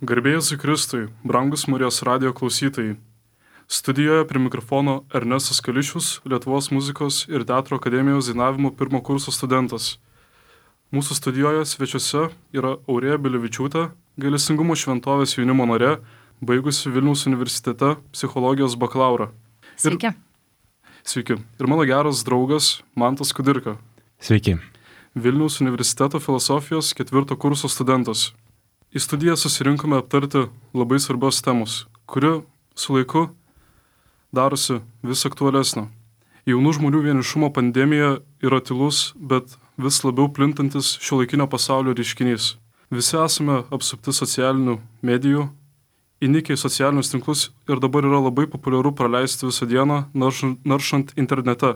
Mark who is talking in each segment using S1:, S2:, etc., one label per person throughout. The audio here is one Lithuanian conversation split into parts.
S1: Garbė Jėzui Kristui, brangus Marijos radijo klausytojai. Studijoje prie mikrofono Ernestas Kališius, Lietuvos muzikos ir teatro akademijos dainavimo pirmo kurso studentas. Mūsų studijoje svečiuose yra Aurėja Bilevičiūtė, Gailestingumo šventovės jaunimo narė, baigusi Vilniaus universitete psichologijos bakalaurą.
S2: Sveiki.
S1: Sveiki. Ir mano geras draugas Mantas Kudirka.
S3: Sveiki.
S1: Vilniaus universiteto filosofijos 4 kurso studentas. Į studiją susirinkome aptarti labai svarbios temos, kuri su laiku darosi vis aktualesnė. Jaunų žmonių vienišumo pandemija yra tylus, bet vis labiau plintantis šiuolaikinio pasaulio reiškinys. Visi esame apsupti socialinių medijų, įnikę į socialinius tinklus ir dabar yra labai populiaru praleisti visą dieną naršant internete,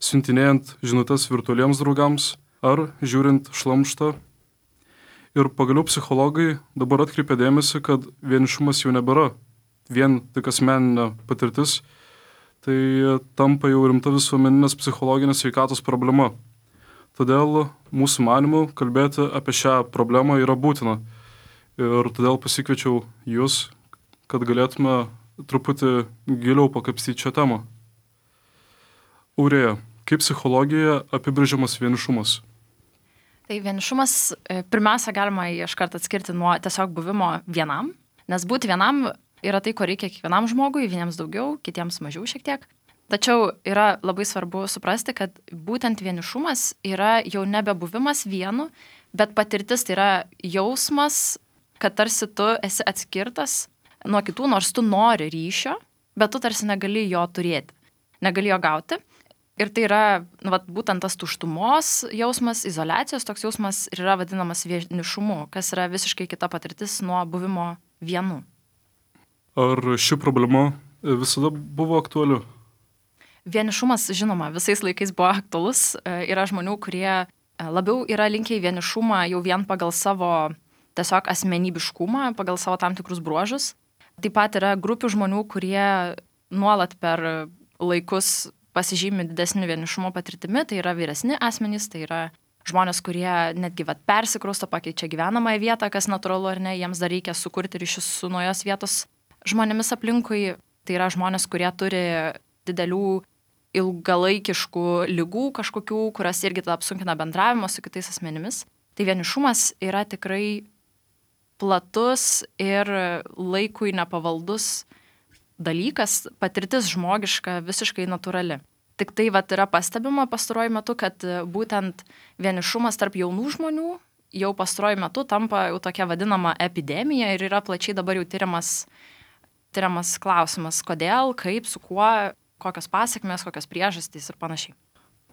S1: siuntinėjant žinutes virtualiems draugams ar žiūrint šlamštą. Ir pagaliau psichologai dabar atkreipia dėmesį, kad vienišumas jau nebėra vien tik asmeninė patirtis, tai tampa jau rimta visuomeninės psichologinės sveikatos problema. Todėl mūsų manymu kalbėti apie šią problemą yra būtina. Ir todėl pasikviečiau jūs, kad galėtume truputį giliau pakapstyti šią temą. Aurėja, kaip psichologijoje apibrėžiamas vienišumas?
S2: Tai vienišumas pirmiausia galima iškart atskirti nuo tiesiog buvimo vienam, nes būti vienam yra tai, ko reikia kiekvienam žmogui, vieniems daugiau, kitiems mažiau šiek tiek. Tačiau yra labai svarbu suprasti, kad būtent vienišumas yra jau nebebuvimas vienu, bet patirtis tai yra jausmas, kad tarsi tu esi atskirtas nuo kitų, nors tu nori ryšio, bet tu tarsi negali jo turėti, negali jo gauti. Ir tai yra būtent tas tuštumos jausmas, izoliacijos toks jausmas ir yra vadinamas vienišumu, kas yra visiškai kita patirtis nuo buvimo vienu.
S1: Ar ši problema visada buvo aktuali?
S2: Vienišumas, žinoma, visais laikais buvo aktualus. Yra žmonių, kurie labiau yra linkę į vienišumą jau vien pagal savo tiesiog asmenybiškumą, pagal savo tam tikrus bruožus. Taip pat yra grupių žmonių, kurie nuolat per laikus pasižymi didesnį vienišumo patirtimi, tai yra vyresni asmenys, tai yra žmonės, kurie netgi persikrausto, pakeičia gyvenamąją vietą, kas natūralu ar ne, jiems dar reikia sukurti ryšius su naujos vietos žmonėmis aplinkui. Tai yra žmonės, kurie turi didelių ilgalaikiškų ligų kažkokių, kurios irgi tada apsunkina bendravimą su kitais asmenimis. Tai vienišumas yra tikrai platus ir laikui nepavaldus dalykas, patirtis žmogiška, visiškai natūrali. Tik tai yra pastebima pastaruoju metu, kad būtent vienišumas tarp jaunų žmonių jau pastaruoju metu tampa jau tokia vadinama epidemija ir yra plačiai dabar jau tyriamas klausimas, kodėl, kaip, su kuo, kokios pasekmės, kokios priežastys ir panašiai.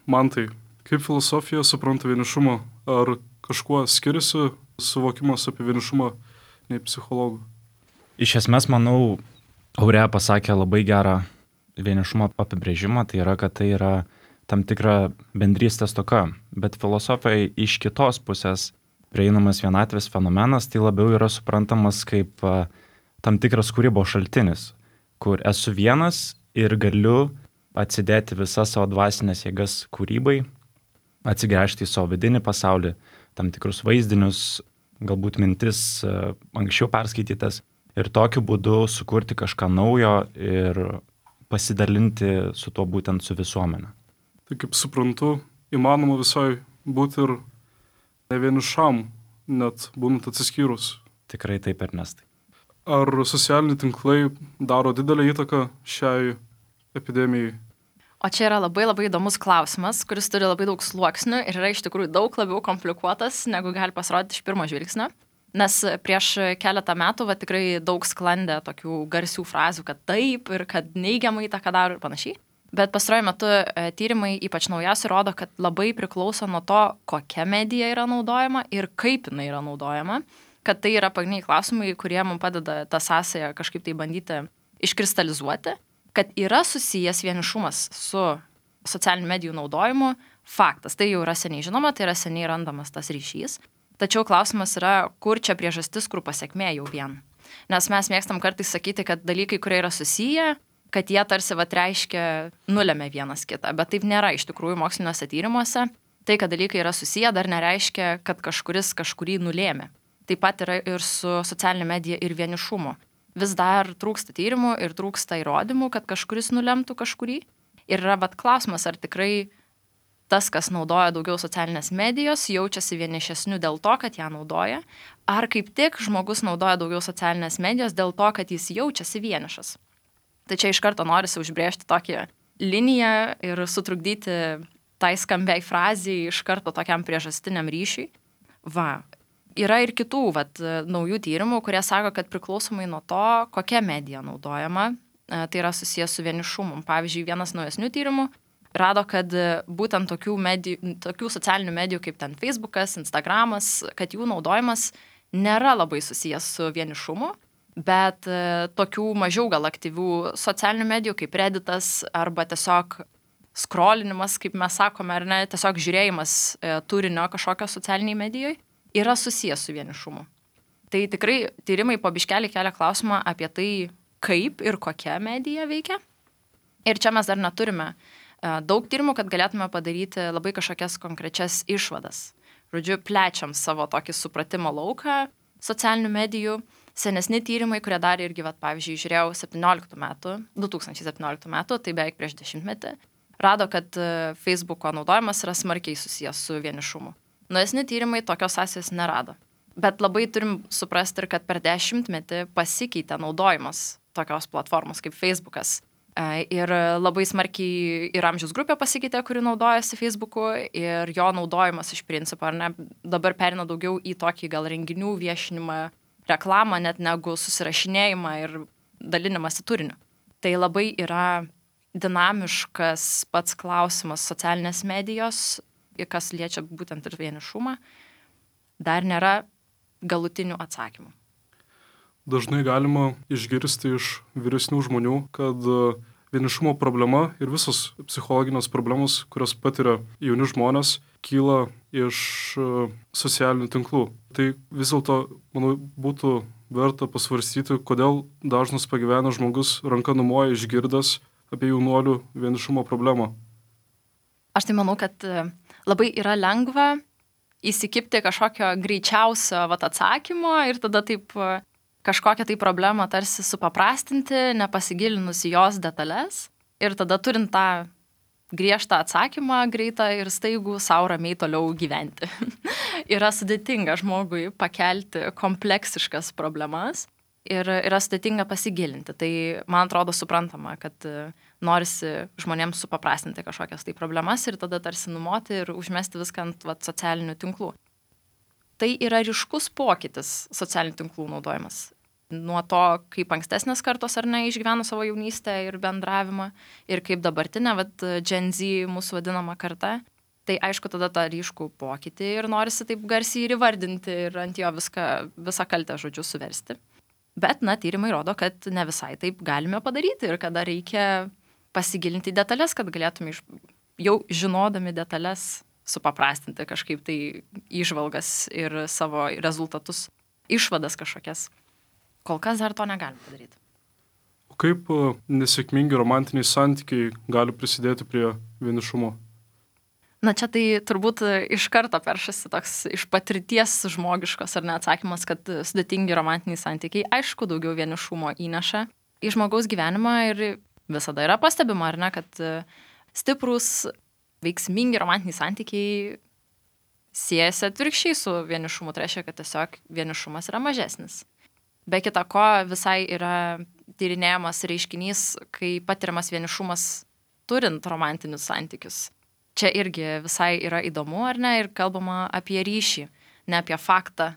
S1: Mantai, kaip filosofija supranta vienišumą? Ar kažkuo skiriasi suvokimas apie vienišumą nei psichologų?
S3: Iš esmės, manau, Aurėja pasakė labai gerą vienišumo apibrėžimą, tai yra, kad tai yra tam tikra bendrystės stoka, bet filosofai iš kitos pusės prieinamas vienatvės fenomenas, tai labiau yra suprantamas kaip tam tikras kūrybos šaltinis, kur esu vienas ir galiu atsidėti visas savo dvasinės jėgas kūrybai, atsigręžti į savo vidinį pasaulį, tam tikrus vaizdinius, galbūt mintis anksčiau perskaitytas. Ir tokiu būdu sukurti kažką naujo ir pasidalinti su tuo būtent su visuomenė.
S1: Tai kaip suprantu, įmanoma visai būti ir ne vienišam, net būnant atsiskyrus.
S3: Tikrai taip, Ernestai.
S1: Ar socialiniai tinklai daro didelę įtaką šiai epidemijai?
S2: O čia yra labai labai įdomus klausimas, kuris turi labai daug sluoksnių ir yra iš tikrųjų daug labiau komplikuotas, negu gali pasirodyti iš pirmo žvilgsnio. Nes prieš keletą metų tikrai daug sklandė tokių garsių frazių, kad taip ir kad neigiamai įtaką daro ir panašiai. Bet pastaruoju metu tyrimai, ypač naujausi, rodo, kad labai priklauso nuo to, kokia medija yra naudojama ir kaip jinai yra naudojama. Kad tai yra pagrindiniai klausimai, kurie mums padeda tą sąsają kažkaip tai bandyti iškristalizuoti. Kad yra susijęs vienišumas su socialinių medijų naudojimu, faktas. Tai jau yra seniai žinoma, tai yra seniai randamas tas ryšys. Tačiau klausimas yra, kur čia priežastis, kur pasekmė jau vien. Nes mes mėgstam kartais sakyti, kad dalykai, kurie yra susiję, kad jie tarsi reiškia nulemia vienas kitą, bet taip nėra iš tikrųjų moksliniuose tyrimuose. Tai, kad dalykai yra susiję, dar nereiškia, kad kažkuris kažkurį nulėmė. taip pat yra ir su socialinė medija ir vienišumu. Vis dar trūksta tyrimų ir trūksta įrodymų, kad kažkuris nulemtų kažkurį. Ir yra klausimas, ar tikrai tas, kas naudoja daugiau socialinės medijos, jaučiasi vienišesniu dėl to, kad ją naudoja, ar kaip tik žmogus naudoja daugiau socialinės medijos dėl to, kad jis jaučiasi vienišas. Tai čia iš karto norisi užbrėžti tokią liniją ir sutrukdyti tai skambiai frazijai iš karto tokiam priežastiniam ryšiui. Yra ir kitų naujų tyrimų, kurie sako, kad priklausomai nuo to, kokia medija naudojama, tai yra susijęs su vienišumu. Pavyzdžiui, vienas naujesnių tyrimų rado, kad būtent tokių socialinių medijų kaip ten Facebookas, Instagramas, kad jų naudojimas nėra labai susijęs su vienišumu, bet tokių mažiau gal aktyvių socialinių medijų kaip Redditas arba tiesiog scrollinimas, kaip mes sakome, ar ne, tiesiog žiūrėjimas turinio kažkokio socialiniai medijoje yra susijęs su vienišumu. Tai tikrai tyrimai po biškelį kelia klausimą apie tai, kaip ir kokia medija veikia. Ir čia mes dar neturime daug tyrimų, kad galėtume padaryti labai kažkokias konkrečias išvadas. Žodžiu, plečiam savo tokį supratimo lauką socialinių medijų. Senesni tyrimai, kurie darė irgi, pavyzdžiui, žiūrėjau 2017 metų, tai beveik prieš 10 metį, rado, kad Facebooko naudojimas yra smarkiai susijęs su vienišumu. Naujesni tyrimai tokios sąsajos nerado. Bet labai turim suprasti ir, kad per 10 metį pasikeitė naudojimas tokios platformos kaip Facebookas. Ir labai smarkiai ir amžiaus grupė pasikeitė, kuri naudojasi Facebooku, ir jo naudojimas iš principo, ar ne, dabar perina daugiau į tokį gal renginių viešinimą, reklamą, net negu susirašinėjimą ir dalinimąsi turiniu. Tai labai yra dinamiškas pats klausimas socialinės medijos, kas liečia būtent ir vienišumą, dar nėra galutinių atsakymų.
S1: Dažnai galima išgirsti iš vyresnių žmonių, kad vienišumo problema ir visos psichologinės problemos, kurios patiria jauni žmonės, kyla iš socialinių tinklų. Tai vis dėlto, manau, būtų verta pasvarstyti, kodėl dažnas pagyvenęs žmogus ranka numoja išgirdęs apie jaunuolių vienišumo problemą.
S2: Aš tai manau, kad labai yra lengva įsikibti kažkokio greičiausio atsakymo ir tada taip kažkokią tai problemą tarsi supaprastinti, nepasigilinus į jos detalės. Ir tada turint tą griežtą atsakymą greitą ir staigų sau ramiai toliau gyventi. Yra sudėtinga žmogui pakelti kompleksiškas problemas ir yra sudėtinga pasigilinti. Tai man atrodo suprantama, kad norisi žmonėms supaprastinti kažkokias tai problemas ir tada tarsi numoti ir užmesti viską ant socialinių tinklų. Tai yra ryškus pokytis socialinių tinklų naudojimas. Nuo to, kaip ankstesnės kartos ar ne išgyveno savo jaunystę ir bendravimą ir kaip dabartinė, Gen Z mūsų vadinama karta. Tai aišku, tada tą ryškų pokytį ir norisi taip garsiai ir įvardinti ir ant jo visą kaltę žodžiu suversti. Bet, tyrimai rodo, kad ne visai taip galime padaryti ir kada reikia pasigilinti į detalės, kad galėtume jau žinodami detalės supaprastinti kažkaip tai įžvalgas ir savo rezultatus, išvadas kažkokias. Kol kas dar to negalim padaryti.
S1: O kaip nesėkmingi romantiniai santykiai gali prisidėti prie vienišumo?
S2: Čia tai turbūt iš karto peršasi toks iš patirties žmogiškos ar ne atsakymas, kad sudėtingi romantiniai santykiai aišku daugiau vienišumo įneša į žmogaus gyvenimą ir visada yra pastebima, ar ne, kad stiprus veiksmingi romantiniai santykiai siejasi atvirkščiai su vienišumu, tai reiškia, kad tiesiog vienišumas yra mažesnis. Be kita ko, visai yra tyrinėjamas reiškinys, kai patiriamas vienišumas turint romantinius santykius. Čia irgi visai yra įdomu, ar ne, ir kalbama apie ryšį, ne apie faktą,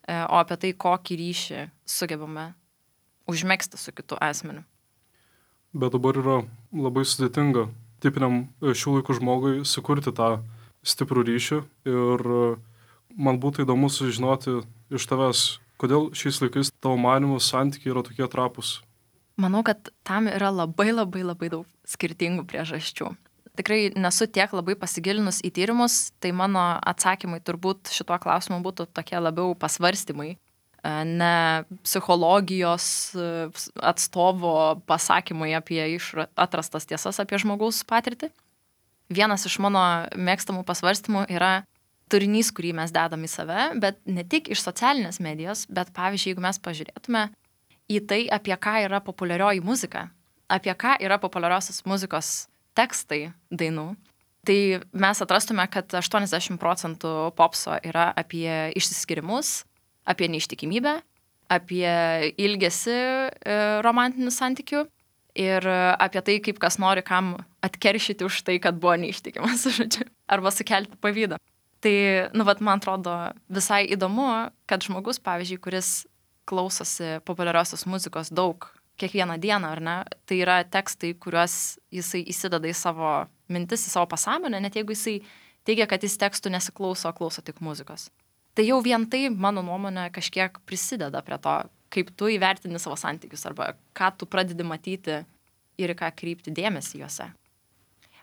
S2: o apie tai, kokį ryšį sugebame užmegzti su kitu asmeniu.
S1: Bet dabar yra labai sudėtinga tipiniam šių laikų žmogui sukurti tą stiprų ryšį ir man būtų įdomu sužinoti iš tavęs, kodėl šiais laikais tavo manymu santykiai yra tokie trapūs.
S2: Manau, kad tam yra labai daug skirtingų priežasčių. Tikrai nesu tiek labai pasigilinus į tyrimus, tai mano atsakymai turbūt šituo klausimu būtų tokie labiau pasvarstymai, ne psichologijos atstovo pasakymai apie atrastas tiesas apie žmogaus patirtį. Vienas iš mano mėgstamų pasvarstymų yra, turinys, kurį mes dedam į save, bet ne tik iš socialinės medijos, bet pavyzdžiui, jeigu mes pažiūrėtume į tai, apie ką yra populiarioji muzika, apie ką yra populiariosios muzikos tekstai dainų, tai mes atrastume, kad 80% popso yra apie išsiskyrimus, apie neištikimybę, apie ilgesį romantinių santykių ir apie tai, kaip kas nori kam atkeršyti už tai, kad buvo neištikimas, žodžiu, arba sukelti pavydą. Tai, man atrodo visai įdomu, kad žmogus, pavyzdžiui, kuris klausosi populiariosios muzikos daug, kiekvieną dieną, ar ne, tai yra tekstai, kuriuos jisai įsideda į savo mintis, į savo pasąmonę, net jeigu jisai teigia, kad jis tekstų nesiklauso, klauso tik muzikos. Tai jau vien tai, mano nuomonė, kažkiek prisideda prie to, kaip tu įvertini savo santykius arba ką tu pradedi matyti ir ką kreipti dėmesį juose.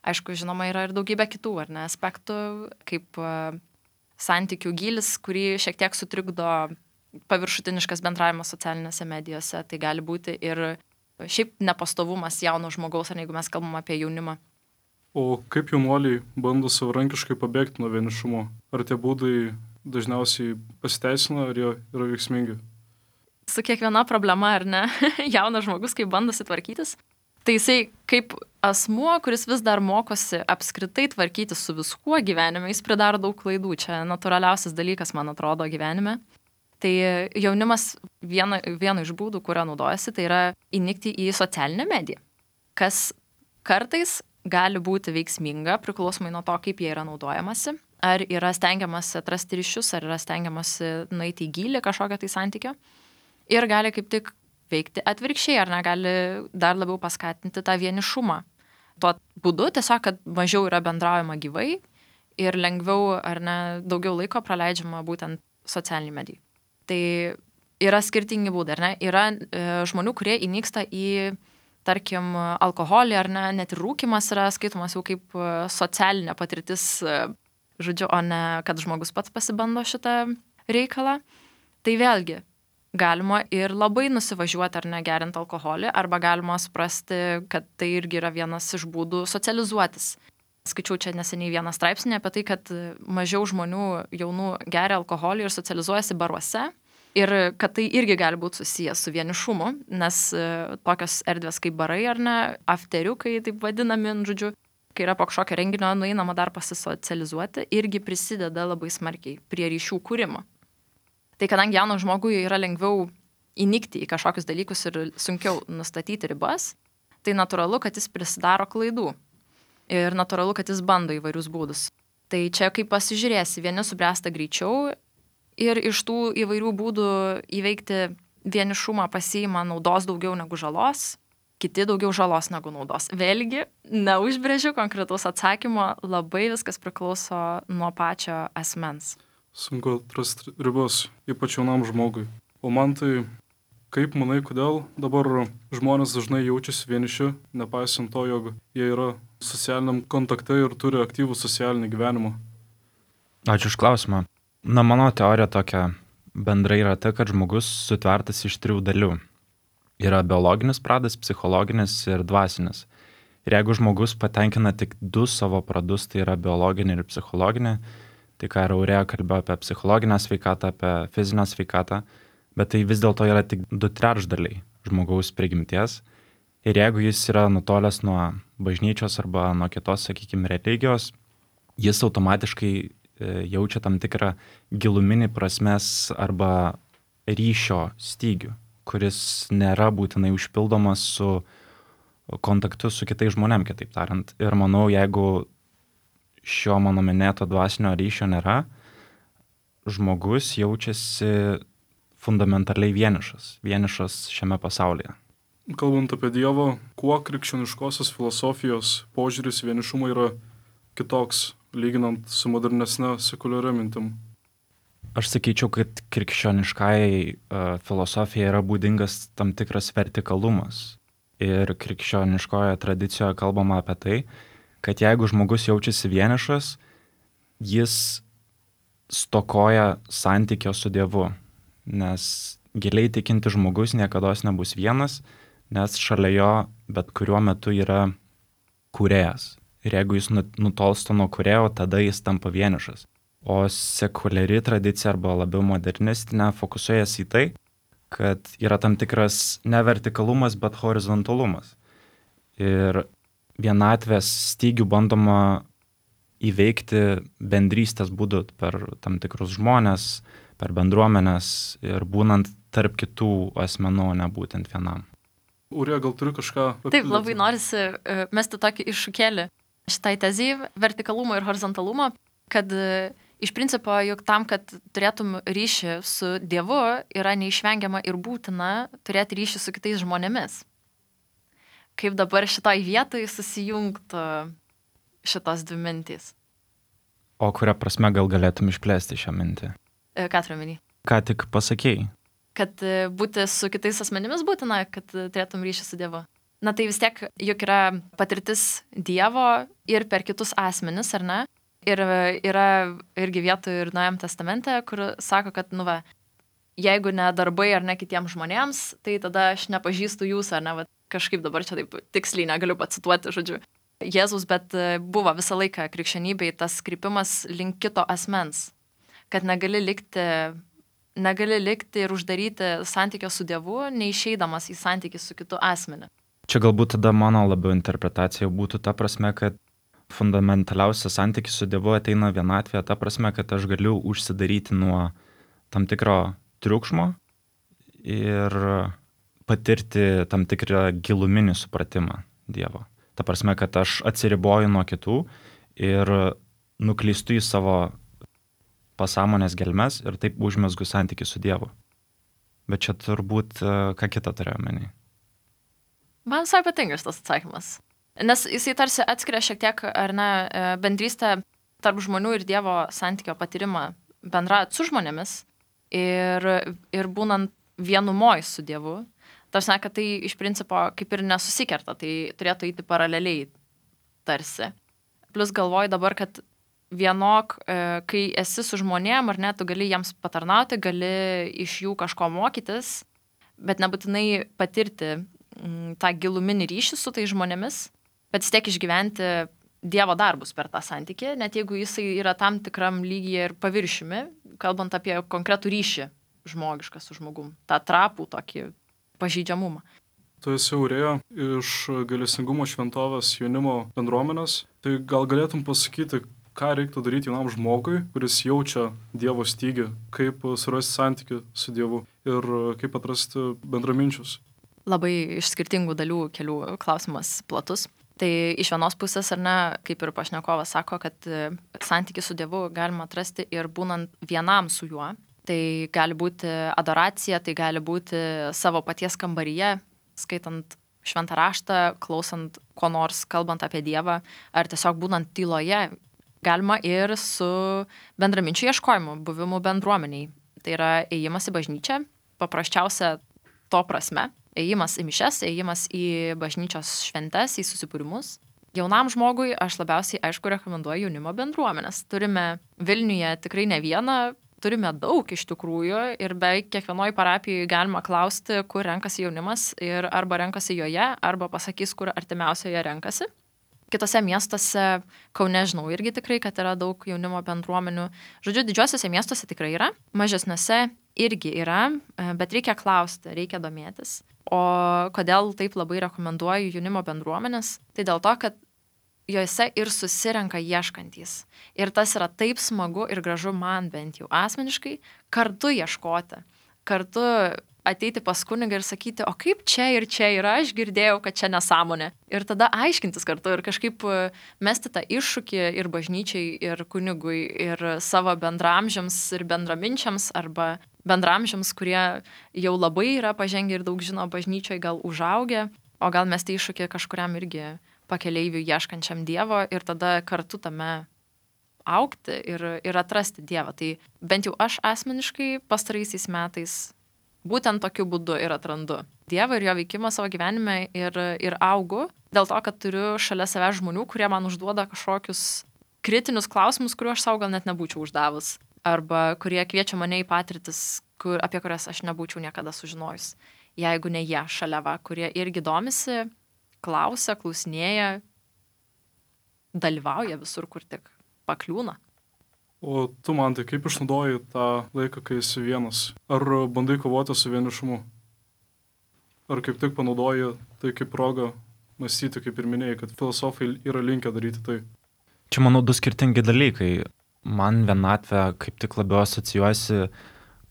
S2: Aišku, žinoma, yra ir daugybė kitų, ar ne, aspektų, kaip santykių gilis, kurį šiek tiek sutrikdo paviršutiniškas bendravimas socialinėse medijose. Tai gali būti ir šiaip nepastovumas jauno žmogaus, ar jeigu mes kalbam apie jaunimą.
S1: O kaip jaunuoliai bando savarankiškai pabėgti nuo vienišumo? Ar tie būdai dažniausiai pasiteisina, ar jie yra veiksmingi?
S2: Su kiekviena problema, ar ne, jaunas žmogus, kaip bandosi tvarkytis, tai jisai kaip asmuo, kuris vis dar mokosi apskritai tvarkyti su viskuo gyvenime, jis pridaro daug klaidų. Čia natūraliausias dalykas, man atrodo, gyvenime. Tai jaunimas vieno iš būdų, kurio naudojasi, tai yra įnikti į socialinę mediją, kas kartais gali būti veiksminga, priklausomai nuo to, kaip jie yra naudojamasi. Ar yra stengiamasi atrasti ryšius, ar yra stengiamasi nueiti į gylį kažkokio tai santykio. Ir gali kaip tik veikti atvirkščiai, ar negali dar labiau paskatinti tą vienišumą. Tuo būdu tiesiog, kad mažiau yra bendraujama gyvai ir lengviau ar ne daugiau laiko praleidžiama būtent socialiniai medijai. Tai yra skirtingi būdai, ar ne? Yra žmonių, kurie įnyksta į, tarkim, alkoholį, ar ne, net ir rūkymas yra skaitomas jau kaip socialinė patirtis, žodžiu, o ne kad žmogus pats pasibando šitą reikalą. Tai vėlgi, galima ir labai nusivažiuoti ar negerinti alkoholį, arba galima suprasti, kad tai irgi yra vienas iš būdų socializuotis. Skaičiau čia neseniai vieną straipsnį apie tai, kad mažiau žmonių jaunų geria alkoholį ir socializuojasi baruose ir kad tai irgi gali būti susijęs su vienišumu, nes tokios erdvės kaip barai ar ne, afteriukai, taip vadinami, žodžiu, kai yra po kažkokio renginio nueinama dar pasisocializuoti, irgi prisideda labai smarkiai prie ryšių kūrimo. Tai kadangi jaunam žmogui yra lengviau įnikti į kažkokius dalykus ir sunkiau nustatyti ribas, tai natūralu, kad jis prisidaro klaidų. Ir natūralu, kad jis bando įvairius būdus. Tai čia kaip pasižiūrėsi, vieni subręsta greičiau ir iš tų įvairių būdų įveikti vienišumą pasiima naudos daugiau negu žalos, kiti daugiau žalos negu naudos. Vėlgi, neužbrėžiu konkretaus atsakymo, labai viskas priklauso nuo pačio asmens.
S1: Sunku atrasti ribas, ypač jaunam žmogui. O man tai, kaip manai, kodėl dabar žmonės dažnai jaučiasi vieniši, nepaisant to, jog jie yra socialiniam kontakte ir turi aktyvų socialinį gyvenimą?
S3: Ačiū už klausimą. Mano teorija tokia bendrai yra ta, kad žmogus sutvertas iš 3 dalių. Yra biologinis pradas, psichologinis ir dvasinis. Ir jeigu žmogus patenkina tik 2 savo pradus, tai yra biologinį ir psichologinį, tai ką ir Aurėja kalbėjo apie psichologinę sveikatą, apie fizinę sveikatą, bet tai vis dėlto yra tik 2/3 žmogaus prigimties. Ir jeigu jis yra nutolęs nuo bažnyčios arba nuo kitos, sakykime, religijos, jis automatiškai jaučia tam tikrą giluminį prasmės arba ryšio stygių, kuris nėra būtinai užpildomas su kontaktu su kitais žmonėm, kitaip tariant. Ir manau, jeigu šio mano minėto dvasinio ryšio nėra, žmogus jaučiasi fundamentaliai vienišas šiame pasaulyje.
S1: Kalbant apie Dievą, kuo krikščioniškosios filosofijos požiūris vienišumą yra kitoks, lyginant su modernesne sekuliaria mintim?
S3: Aš sakyčiau, kad krikščioniškai filosofija yra būdingas tam tikras vertikalumas. Ir krikščioniškoje tradicijoje kalbama apie tai, kad jeigu žmogus jaučiasi vienišas, jis stokoja santykio su Dievu. Nes giliai tikinti žmogus niekados nebus vienas, nes šalia jo bet kuriuo metu yra kūrėjas. Ir jeigu jis nutolsta nuo kūrėjo, tada jis tampa vienišas. O sekuliari tradicija arba labiau modernistinė fokusuojasi į tai, kad yra tam tikras ne vertikalumas, bet horizontalumas. Ir vienatvės stygių bandoma įveikti bendrystės būdu per tam tikrus žmonės, per bendruomenės ir būnant tarp kitų asmenų, ne būtent vienam.
S1: Urija, gal turi kažką papildyti?
S2: Taip, labai norisi mesti tokį iššūkėlį šitai tezijai vertikalumo ir horizontalumo, kad iš principo, juk tam, kad turėtum ryšį su Dievu, yra neišvengiama ir būtina turėti ryšį su kitais žmonėmis. Kaip dabar šitoj vietoj susijungtų šitos dvi mintys?
S3: O kuria prasme gal galėtum išplėsti šią mintį?
S2: Ką turiu omeny?
S3: Ką tik pasakėjai?
S2: Kad būti su kitais asmenimis būtina, kad turėtum ryšį su Dievu. Na tai vis tiek juk yra patirtis Dievo ir per kitus asmenis, ar ne? Ir yra irgi vietų ir Naujajame testamente, kur sako, kad, jeigu ne darbai ar ne kitiems žmonėms, tai tada aš nepažįstu jūs, ar ne, kažkaip dabar čia taip tiksliai negaliu pacituoti, žodžiu, Jėzus, bet buvo visą laiką krikščionybei tas krypimas link kito asmens, kad negali likti ir uždaryti santykio su Dievu, neišeidamas į santykį su kitu asmeniu.
S3: Čia galbūt tada mano labiau interpretacija būtų ta prasme, kad fundamentaliausias santykis su Dievu ateina vienatvėje, ta prasme, kad aš galiu užsidaryti nuo tam tikro triukšmo ir patirti tam tikrą giluminį supratimą Dievo. Ta prasme, kad aš atsiriboju nuo kitų ir nuklystu į savo pasąmonės gelmes ir taip užmezgu santykį su Dievu. Bet čia turbūt ką kitą turėjau omeny.
S2: Man visai patinka šitas atsakymas. Nes jisai tarsi atskiria šiek tiek, ar ne, bendrystę tarp žmonių ir Dievo santykio patyrimą bendraujant su žmonėmis ir būnant vienumoj su Dievu. Tarsi, kad tai iš principo kaip ir nesusikerta, tai turėtų eiti paraleliai tarsi. Plus galvoju dabar, kad vienok, kai esi su žmonėm, ar ne, tu gali jiems patarnauti, gali iš jų kažko mokytis, bet nebūtinai patirti tą giluminį ryšį su tai žmonėmis, bet vis tiek išgyventi Dievo darbus per tą santykį, net jeigu jisai yra tam tikram lygyje ir paviršiumi, kalbant apie konkretų ryšį žmogišką su žmogum, tą trapų tokį pažeidžiamumą.
S1: Tu esi Urija iš Gailestingumo šventovės jaunimo bendruomenės, tai gal galėtum pasakyti, ką reiktų daryti jaunam žmogui, kuris jaučia Dievo stygį, kaip surasti santykį su Dievu ir kaip atrasti bendraminčius?
S2: Labai iš skirtingų dalių kelių klausimas platus. Tai iš vienos pusės, ar ne, kaip ir pašnekovas sako, kad santykį su Dievu galima atrasti ir būnant vienam su juo. Tai gali būti adoracija, tai gali būti savo paties kambaryje, skaitant šventą raštą, klausant ko nors, kalbant apie Dievą, ar tiesiog būnant tyloje. Galima ir su bendraminčių ieškojimu, buvimu bendruomeniai. Tai yra ėjimas į bažnyčią, paprasčiausia to prasme. Ėjimas į mišes, ėjimas į bažnyčios šventes, į susibūrimus. Jaunam žmogui aš labiausiai, aišku, rekomenduoju jaunimo bendruomenės. Turime Vilniuje tikrai ne vieną, turime daug iš tikrųjų ir beveik kiekvienoj parapijai galima klausti, kur renkasi jaunimas ir arba renkasi joje, arba pasakys, kur artimiausioje renkasi. Kitose miestuose, Kaune žinau irgi tikrai, kad yra daug jaunimo bendruomenių. Žodžiu, didžiuosiuose miestuose tikrai yra, mažesniuose irgi yra, bet reikia klausti, reikia domėtis. O kodėl taip labai rekomenduoju jaunimo bendruomenės? Tai dėl to, kad jose ir susirenka ieškantys. Ir tas yra taip smagu ir gražu man bent jau asmeniškai, kartu ieškoti, kartu ateiti pas kunigą ir sakyti, o kaip čia ir čia yra, aš girdėjau, kad čia nesąmonė. Ir tada aiškintis kartu ir kažkaip mesti tą iššūkį ir bažnyčiai, ir kunigui, ir savo bendramžiams ir bendraminčiams, arba bendramžiams, kurie jau labai yra pažengę ir daug žino bažnyčioje, gal užaugę, o gal mesti iššūkį kažkuriam irgi pakeleiviui ieškančiam Dievo ir tada kartu tame augti ir atrasti Dievą. Tai bent jau aš asmeniškai pastaraisiais metais būtent tokiu būdu ir atrandu Dievą ir jo veikimą savo gyvenime ir augu, dėl to, kad turiu šalia savęs žmonių, kurie man užduoda kažkokius kritinius klausimus, kuriuos aš savo gal net nebūčiau uždavus, arba kurie kviečia mane į patirtis, apie kurias aš nebūčiau niekada sužinojus, jeigu ne jie šalia va, kurie irgi domisi, klausia, klausinėja, dalyvauja visur, kur tik pakliūna.
S1: O tu, man, tai kaip išnaudoji tą laiką, kai esi vienas? Ar bandai kovoti su vienišumu? Ar kaip tik panaudoji tai kaip progą mąstyti, kaip ir minėjai, kad filosofai yra linkę daryti tai?
S3: Čia, manau, du skirtingi dalykai. Man vienatvė kaip tik labiau asocijuosi,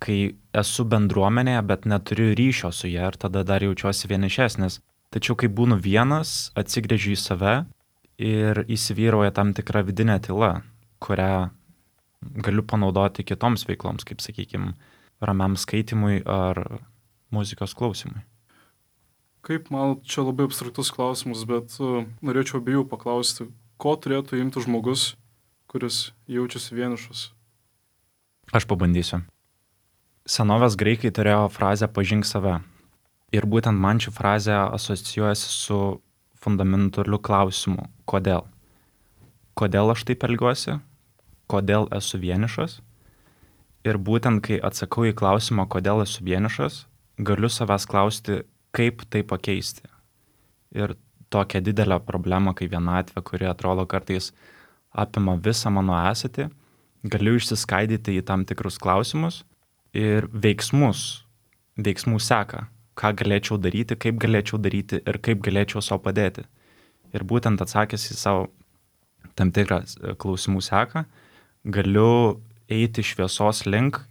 S3: kai esu bendruomenėje, bet neturiu ryšio su ja ir tada dar jaučiuosi vienišesnis. Tačiau kai būnu vienas, atsigręžiu į save ir įsivyrauja tam tikra vidinė tyla, kurią galiu panaudoti kitoms veikloms, kaip, sakykime, ramiam skaitimui ar muzikos klausimui.
S1: Kaip, man, čia labai abstraktus klausimas, bet norėčiau abiejų paklausti, ko turėtų imti žmogus, kuris jaučiasi vienišas?
S3: Aš pabandysiu. Senovės graikai turėjo frazę pažink save. Ir būtent man ši frazė asocijuojasi su fundamentaliu klausimu. Kodėl? Kodėl aš taip elgiuosi? Kodėl esu vienišas? Ir būtent kai atsakau į klausimą, kodėl esu vienišas, galiu savęs klausti, kaip tai pakeisti. Ir tokia didelė problema, kai vienatvė, kuri atrodo kartais apima visą mano esatį, galiu išsiskaidyti į tam tikrus klausimus ir veiksmų seka, ką galėčiau daryti, kaip galėčiau daryti ir kaip galėčiau savo padėti. Ir būtent atsakęs į savo tam tikrą klausimų seką, galiu eiti šviesos link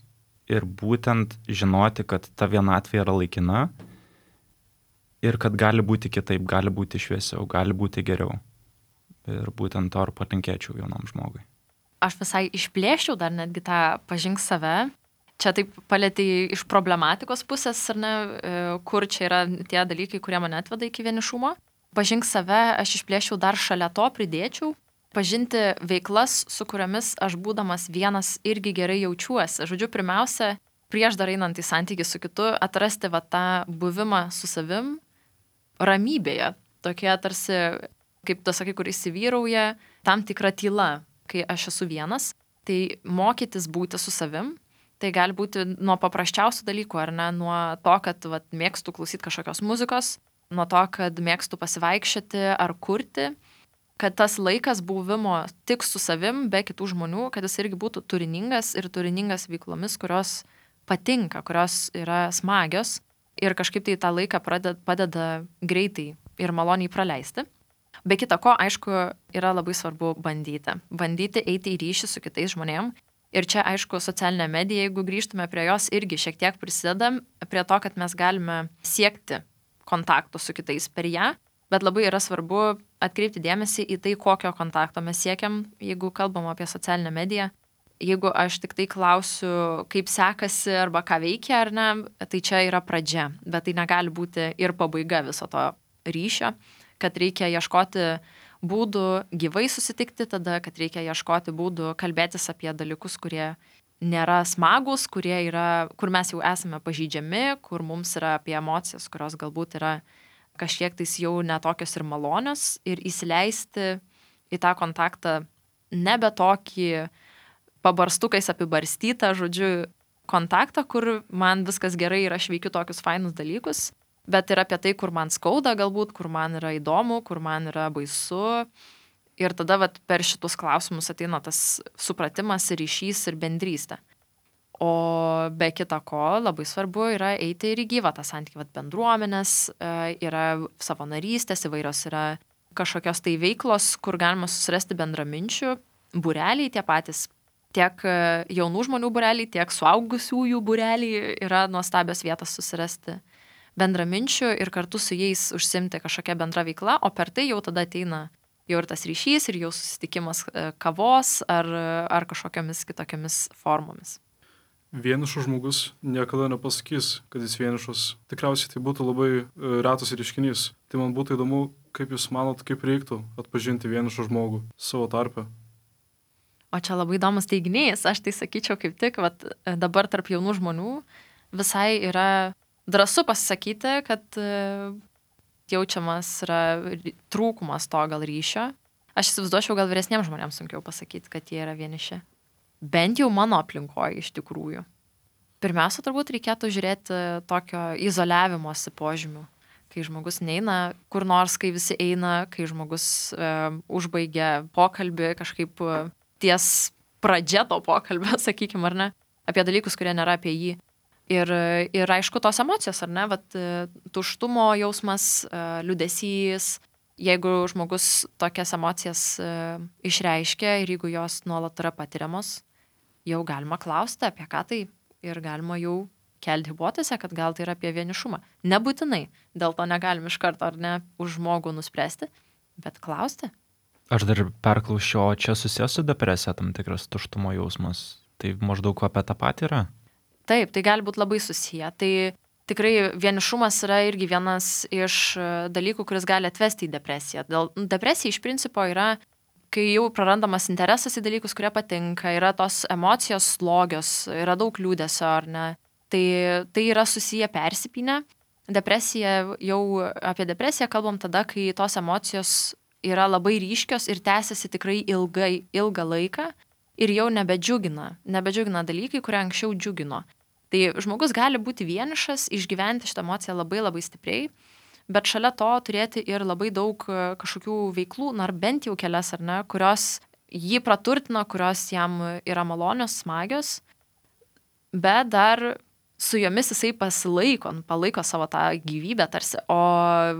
S3: ir būtent žinoti, kad ta vienatvė yra laikina ir kad gali būti kitaip, gali būti šviesiau, gali būti geriau. Ir būtent to ir palinkėčiau jaunam žmogui.
S2: Aš visai išplėščiau dar netgi tą pažink save. Čia taip palėtė iš problematikos pusės, ar ne, kur čia yra tie dalykai, kurie mane atveda iki vienišumo. Pažink save, aš išplėščiau dar šalia to pridėčiau. Pažinti veiklas, su kuriomis aš būdamas vienas irgi gerai jaučiuosi. Žodžiu, pirmiausia, prieš dar einant į santykį su kitu, atrasti va tą buvimą su savim ramybėje. Tokie tarsi, kaip tu sakai, kur įsivyrauja tam tikra tyla, kai aš esu vienas. Tai mokytis būti su savim, tai gali būti nuo paprasčiausių dalykų, ar ne, nuo to, kad mėgstu klausyti kažkokios muzikos, nuo to, kad mėgstu pasivaikščioti ar kurti, kad tas laikas buvimo tik su savim, be kitų žmonių, kad jis irgi būtų turiningas ir turiningas veiklomis, kurios patinka, kurios yra smagios ir kažkaip tai tą laiką padeda greitai ir maloniai praleisti. Be kita ko, aišku, yra labai svarbu bandyti. Bandyti eiti į ryšį su kitais žmonėm. Ir čia, aišku, socialinė medija, jeigu grįžtume prie jos, irgi šiek tiek prisideda prie to, kad mes galime siekti kontakto su kitais per ją. Bet labai yra svarbu atkreipti dėmesį į tai, kokio kontakto mes siekiam, jeigu kalbam apie socialinę mediją. Jeigu aš tik tai klausiu, kaip sekasi arba ką veikia ar ne, tai čia yra pradžia. Bet tai negali būti ir pabaiga viso to ryšio, kad reikia ieškoti būdų gyvai susitikti tada, kad reikia ieškoti būdų kalbėtis apie dalykus, kurie nėra smagus, kur mes jau esame pažeidžiami, kur mums yra apie emocijas, kurios galbūt yra kažkiek tais jau netokios ir malonios ir įsileisti į tą kontaktą nebe tokį pabarstukais apibarstytą, žodžiu, kontaktą, kur man viskas gerai ir aš veikiu tokius fainus dalykus, bet ir apie tai, kur man skauda galbūt, kur man yra įdomu, kur man yra baisu. Ir tada per šitus klausimus ateina tas supratimas ir ryšys ir bendrystė. O be kita ko, labai svarbu yra eiti ir į gyvą tą santykį, bendruomenės, yra savanorystės, įvairios yra kažkokios tai veiklos, kur galima susirasti bendraminčių, būreliai tie patys, tiek jaunų žmonių būreliai, tiek suaugusiųjų būreliai yra nuostabios vietos susirasti bendraminčių ir kartu su jais užsimti kažkokią bendrą veiklą, o per tai jau tada ateina jau ir tas ryšys, ir jau susitikimas kavos ar kažkokiamis kitokiamis formomis.
S1: Vienišas žmogus niekada nepasakys, kad jis vienišas. Tikriausiai tai būtų labai retas reiškinys. Tai man būtų įdomu, kaip jūs manot, kaip reiktų atpažinti vienišą žmogų savo tarpe.
S2: O čia labai įdomus teiginys. Aš tai sakyčiau kaip tik, dabar tarp jaunų žmonių visai yra drąsu pasisakyti, kad jaučiamas yra trūkumas to gal ryšio. Aš įsivaizduočiau, gal vyresniems žmonėms sunkiau pasakyti, kad jie yra vieniši. Bent jau mano aplinkoje iš tikrųjų. Pirmiausia, turbūt reikėtų žiūrėti tokio izoliavimosi požymių, kai žmogus neina kur nors, kai visi eina, kai žmogus užbaigia pokalbį kažkaip ties pradžia to pokalbio, sakykime, ar ne, apie dalykus, kurie nėra apie jį. Ir aišku, tos emocijos, ar ne, vat, tuštumo jausmas, liūdesys, jeigu žmogus tokias emocijas išreiškia ir jeigu jos nuolat yra patiriamos, jau galima klausti apie ką tai ir galima jau kelti hipotezę, kad gal tai yra apie vienišumą. Nebūtinai, dėl to negalim iš karto ar ne už žmogų nuspręsti, bet klausti.
S3: Aš dar perklausiu, o čia susijęs su depresija tam tikras tuštumo jausmas. Tai maždaug apie tą patį yra?
S2: Taip, tai gali būti labai susiję. Tai tikrai vienišumas yra irgi vienas iš dalykų, kuris gali atvesti į depresiją. Depresija iš principo yra, kai jau prarandamas interesas į dalykus, kurie patinka, yra tos emocijos slogios, yra daug liūdesio, ar ne. Tai yra susiję persipynę. Apie depresiją kalbam tada, kai tos emocijos yra labai ryškios ir tęsiasi tikrai ilgą laiką ir jau nebedžiugina dalykai, kurie anksčiau džiugino. Tai žmogus gali būti vienišas, išgyventi šitą emociją labai labai stipriai, bet šalia to turėti ir labai daug kažkokių veiklų, ar bent jau kelias, ar ne, kurios jį praturtina, kurios jam yra malonios, smagios, bet dar su jomis jisai palaiko savo tą gyvybę tarsi, o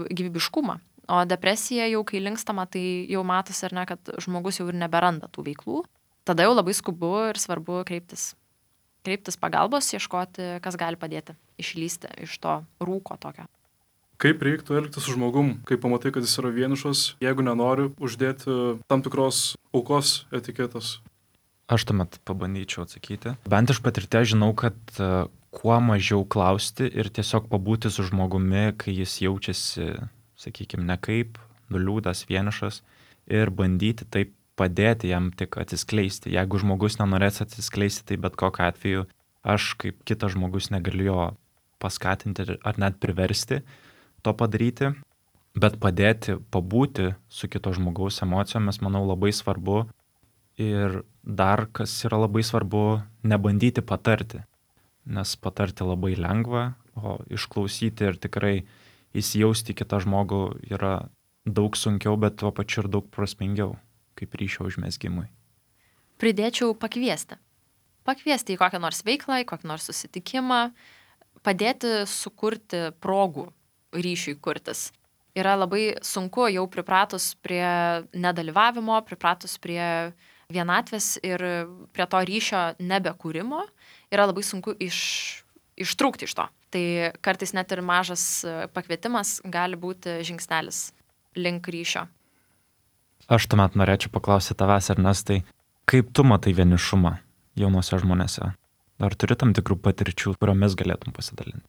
S2: gyvybiškumą. O depresija jau, kai linkstama, tai jau matosi, ar ne, kad žmogus jau ir neberanda tų veiklų. Tada jau labai skubu ir svarbu kreiptis pagalbos, ieškoti, kas gali padėti išlysti iš to rūko tokio.
S1: Kaip reiktų elgtis su žmogum, kai pamatai, kad jis yra vienišas, jeigu nenori uždėti tam tikros aukos etiketės?
S3: Aš tuomet pabandyčiau atsakyti. Bent iš patirties žinau, kad kuo mažiau klausti ir tiesiog pabūti su žmogumi, kai jis jaučiasi, sakykime, nekaip, nuliūdas, vienišas ir bandyti taip padėti jam tik atsiskleisti. Jeigu žmogus nenorės atsiskleisti, tai bet kokiu atveju aš kaip kitas žmogus negaliu jo paskatinti ar net priversti to padaryti, bet padėti pabūti su kito žmogaus emocijomis, manau, labai svarbu. Ir dar, kas yra labai svarbu, nebandyti patarti, nes patarti labai lengva, o išklausyti ir tikrai įsijausti kitą žmogų yra daug sunkiau, bet tuo pačiu ir daug prasmingiau, kaip ryšio užmezgimui.
S2: Pridėčiau pakviesti. Pakviesti į kokią nors veiklą, į kokį nors susitikimą, padėti sukurti progų ryšiui kurtis. Yra labai sunku jau pripratus prie nedalyvavimo, pripratus prie vienatvės ir prie to ryšio nebekūrimo, yra labai sunku ištrūkti iš to. Tai kartais net ir mažas pakvietimas gali būti žingsnelis link ryšio.
S3: Aš tuomet norėčiau paklausyti tavęs, Ernestai, kaip tu matai vienišumą jaunuose žmonėse? Ar turi tam tikrų patirčių, kuriomis galėtum pasidalinti?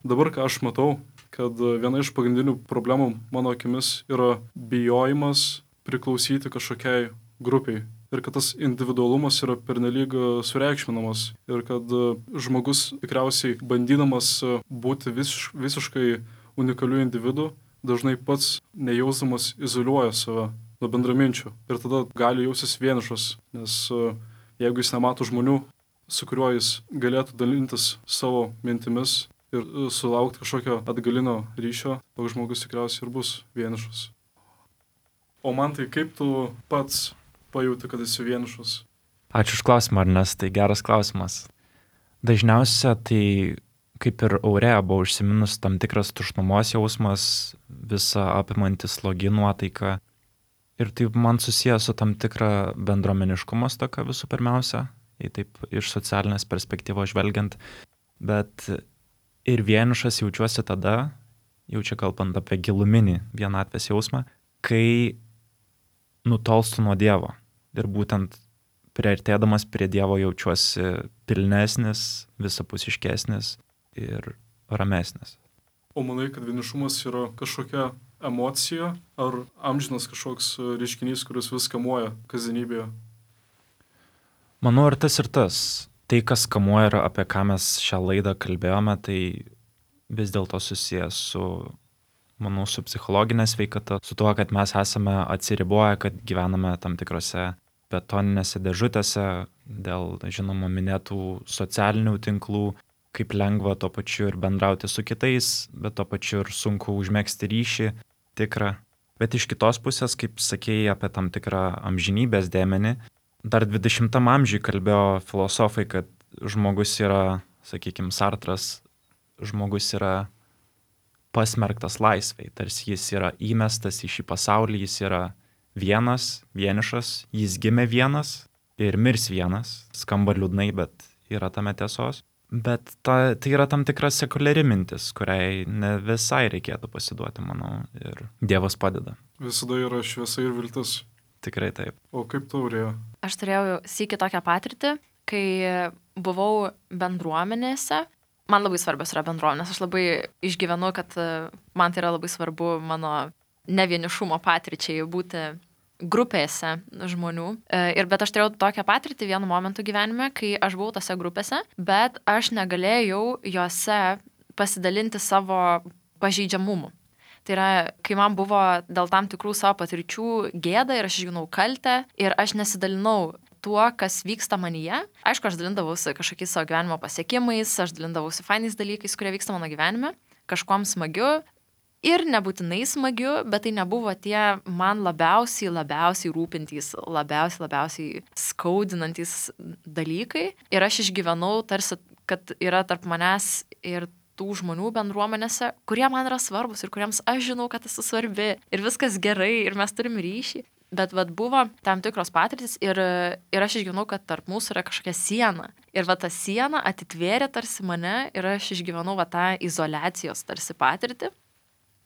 S1: Dabar, ką aš matau, kad viena iš pagrindinių problemų mano akimis yra bijojimas priklausyti kažkokiai grupiai. Ir kad tas individualumas yra pernelyg sureikšminamas. Ir kad žmogus tikriausiai bandydamas būti visiškai unikaliu individu, dažnai pats nejausdamas izoliuoja save nuo bendraminčių. Ir tada gali jaustis vienišas, nes jeigu jis nemato žmonių, su kuriuo jis galėtų dalintis savo mintimis ir sulaukti kažkokio atgalinio ryšio, toks žmogus tikriausiai ir bus vienišas. O man tai kaip tu pats pajauti, kad esi vienišas?
S3: Ačiū už klausimą, Ernestai, geras klausimas. Dažniausia tai, kaip ir Aurėja buvo užsiminus, tam tikras tuštumos jausmas, visa apimantis slogi nuotaika. Ir tai man susijęs su tam tikra bendruomeniškumo stoka visų pirmiausia, taip iš socialinės perspektyvos žvelgiant. Bet ir vienišas jaučiuosi tada, jau čia kalbant apie giluminį vienatvės jausmą, kai nutolstu nuo Dievo. Ir būtent priartėdamas prie Dievo jaučiuosi pilnesnis, visapusiškesnis ir ramesnis.
S1: O manai, kad vienišumas yra kažkokia emocija ar amžinas kažkoks reiškinys, kuris vis kamuoja kasdienybėje?
S3: Manau, ir tas. Tai, kas kamuoja ir apie ką mes šią laidą kalbėjome, tai vis dėlto susijęs su, manau, su psichologinė sveikata, su tuo, kad mes esame atsiriboję, kad gyvename tam tikrose betoninėse dėžutėse dėl, žinoma, minėtų socialinių tinklų, kaip lengva tuo pačiu ir bendrauti su kitais, bet tuo pačiu ir sunku užmegzti ryšį tikrą. Bet iš kitos pusės, kaip sakėjai apie tam tikrą amžinybės dėmenį, Dar 20 amžiui kalbėjo filosofai, kad žmogus yra, sakykime, Sartras, žmogus yra pasmerktas laisvei, tarsi jis yra įmestas į šį pasaulį, jis yra vienas, vienišas, jis gimė vienas ir mirs vienas. Skamba liūdnai, bet yra tame tiesos. Bet tai yra tam tikra sekuliari mintis, kuriai ne visai reikėtų pasiduoti, manau, ir Dievas padeda.
S1: Visada yra šviesa ir viltis.
S3: Tikrai taip.
S1: O kaip taurėjo?
S2: Aš turėjau sykį tokią patirtį, kai buvau bendruomenėse. Man labai svarbios yra bendruomenės. Aš labai išgyvenu, kad man tai yra labai svarbu mano nevienišumo patirčiai būti grupėse žmonių. Bet aš turėjau tokią patirtį vienu momentu gyvenime, kai aš buvau tose grupėse, bet aš negalėjau jose pasidalinti savo pažeidžiamumu. Tai yra, kai man buvo dėl tam tikrų savo patirčių gėda ir aš išgyvenau kaltę ir aš nesidalinau tuo, kas vyksta manyje. Aišku, aš dalindavausi kažkokiais savo gyvenimo pasiekimais, aš dalindavausi fainais dalykais, kurie vyksta mano gyvenime, kažkuom smagiu ir nebūtinai smagiu, bet tai nebuvo tie man labiausiai rūpintys, labiausiai skaudinantys dalykai. Ir aš išgyvenau tarsi, kad yra tarp manęs ir tų žmonių bendruomenėse, kurie man yra svarbus ir kuriems aš žinau, kad esu svarbi ir viskas gerai ir mes turim ryšį. Bet buvo tam tikros patirtis ir aš išgyvenau, kad tarp mūsų yra kažkokia siena. Ir ta siena atitvėrė tarsi mane ir aš išgyvenau tą izoliacijos tarsi patirtį.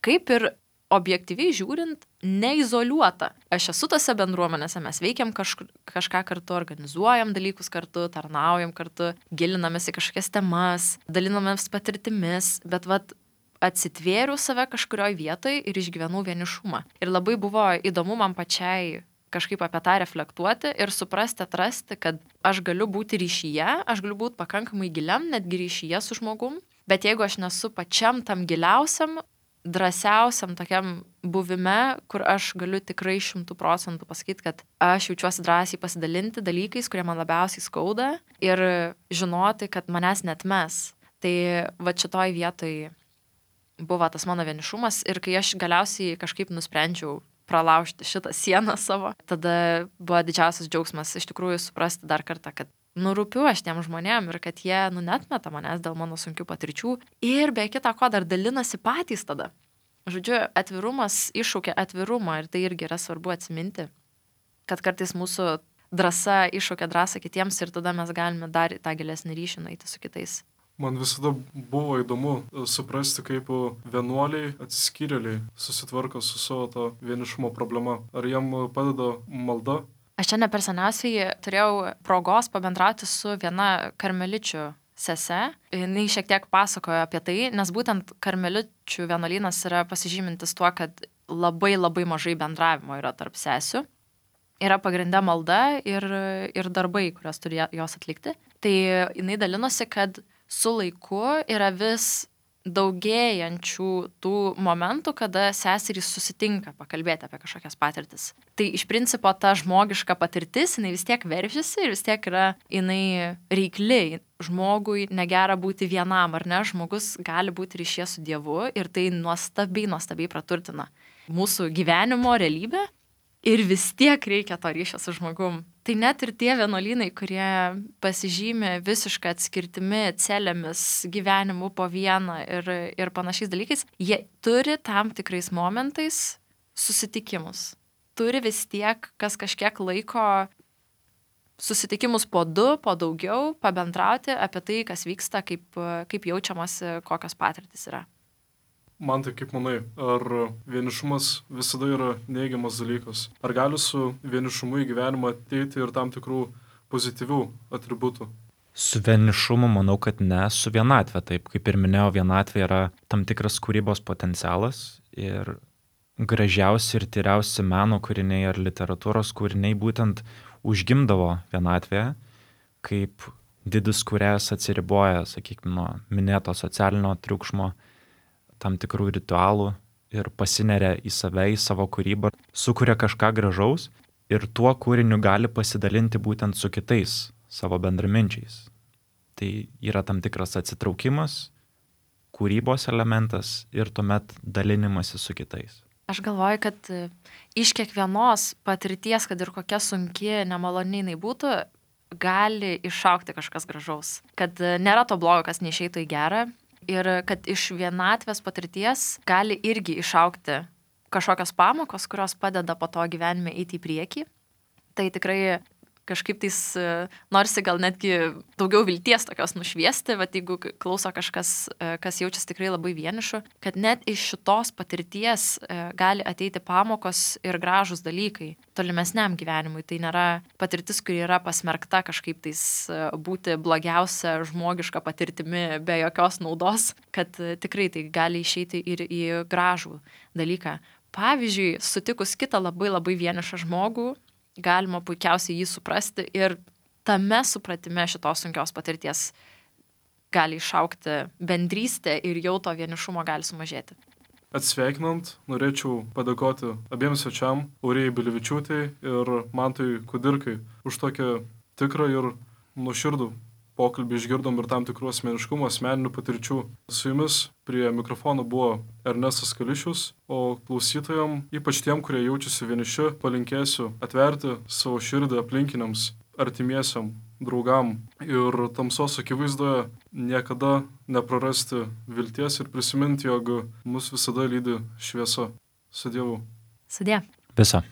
S2: Kaip ir objektyviai žiūrint, neizoliuota. Aš esu tose bendruomenėse, mes veikiam kažką kartu, organizuojam dalykus kartu, tarnaujam kartu, gilinamės į kažkokias temas, dalinamės patirtimis, bet atsitvėriau save kažkurioj vietoj ir išgyvenau vienišumą. Ir labai buvo įdomu man pačiai kažkaip apie tą reflektuoti ir suprasti, atrasti, kad aš galiu būti ryšyje, aš galiu būti pakankamai giliam, netgi ryšyje su žmogum, bet jeigu aš nesu pačiam tam giliausiam, drąsiausiam tokiam buvime, kur aš galiu tikrai 100% pasakyti, kad aš jaučiuosi drąsiai pasidalinti dalykais, kurie man labiausiai skauda ir žinoti, kad manęs netmes. Tai šitoj vietoj buvo tas mano vienišumas ir kai aš galiausiai kažkaip nusprendžiau pralaužti šitą sieną savo, tada buvo didžiausias džiaugsmas iš tikrųjų suprasti dar kartą, kad rūpiu aš tiem žmonėm ir kad jie netmeta manęs dėl mano sunkių patirčių ir be kita ko dar dalinasi patys tada. Žodžiu, atvirumas iššaukia atvirumą ir tai irgi yra svarbu atsiminti, kad kartais mūsų drąsa iššaukia drąsą kitiems ir tada mes galime dar tą gilesnį ryšį nueiti su kitais.
S1: Man visada buvo įdomu suprasti, kaip vienuoliai atsiskyrėliai susitvarko su savo to vienišumo problema. Ar jam padeda malda?
S2: Aš čia ne per seniausiai turėjau progos pabendrauti su viena karmeličių sese. Jis šiek tiek pasakojo apie tai, nes būtent karmeličių vienuolynas yra pasižymintis tuo, kad labai mažai bendravimo yra tarp sesių. Yra pagrindė malda ir darbai, kuriuos turi jos atlikti. Tai jinai dalinosi, kad su laiku yra vis daugėjančių tų momentų, kada seserys susitinka pakalbėti apie kažkokias patirtis. Tai iš principo ta žmogiška patirtis, jinai vis tiek veržiasi ir vis tiek yra jinai reikli. Žmogui negera būti vienam, ar ne? Žmogus gali būti ryšyje su Dievu ir tai nuostabiai praturtina mūsų gyvenimo realybę ir vis tiek reikia to ryšio su žmogum. Tai net ir tie vienuolynai, kurie pasižymė visišką atskirtimi, celėmis, gyvenimu po vieną ir panašiais dalykais, jie turi tam tikrais momentais susitikimus. Turi vis tiek, kas kažkiek laiko susitikimus po 2, po daugiau, pabendrauti apie tai, kas vyksta, kaip jaučiamasi, kokios patirtys yra.
S1: Man tai kaip manai, ar vienišumas visada yra neigiamas dalykas? Ar gali su vienišumu į gyvenimą ateiti ir tam tikrų pozityvių atributų?
S3: Su vienišumu manau, kad ne, su vienatvė. Taip, kaip ir minėjau, vienatvė yra tam tikras kūrybos potencialas ir gražiausi ir tyriausi meno kūriniai ar literatūros kūriniai būtent užgimdavo vienatvėje, kaip didis kūrėjas atsiriboja, sakykime, nuo minėto socialinio triukšmo, tam tikrų ritualų ir pasineria į save, į savo kūrybą, sukuria kažką gražaus ir tuo kūriniu gali pasidalinti būtent su kitais savo bendraminčiais. Tai yra tam tikras atsitraukimas, kūrybos elementas ir tuomet dalinimasis su kitais.
S2: Aš galvoju, kad iš kiekvienos patirties, kad ir kokia sunki, nemaloni jinai būtų, gali išaukti kažkas gražaus. Kad nėra to blogo, kas neišeitų į gerą. Ir kad iš vienatvės patirties gali irgi išaukti kažkokios pamokos, kurios padeda po to gyvenime eiti į priekį. Tai tikrai kažkaip tais norisi gal netgi daugiau vilties tokios nušviesti, bet jeigu klauso kažkas, kas jaučiasi tikrai labai vienišu, kad net iš šitos patirties gali ateiti pamokos ir gražus dalykai tolimesniam gyvenimui. Tai nėra patirtis, kuri yra pasmerkta kažkaip tais būti blogiausia žmogiška patirtimi be jokios naudos, kad tikrai tai gali išeiti ir į gražų dalyką. Pavyzdžiui, sutikus kitą labai vienišą žmogų, galima puikiausiai jį suprasti ir tame supratime šitos sunkios patirties gali išaukti bendrystė ir jau to vienišumo gali sumažėti.
S1: Atsveikinant, norėčiau padėkoti abiems svečiam, Aurijai Bilivičiūtei ir Mantui Kudirkai, už tokią tikrą ir nuoširdų pokalbį. Išgirdom ir tam tikrų asmeniškumų, asmeninių patirčių. Su jumis prie mikrofono buvo Ernestas Kališius, o klausytojam, ypač tiem, kurie jaučiasi vieniši, palinkėsiu atverti savo širdį aplinkiniams, artimiesiam, draugam ir tamsos akivaizdoje niekada neprarasti vilties ir prisiminti, jog mus visada lydi šviesa. Su Dievu.
S2: Sudie.
S3: Visa.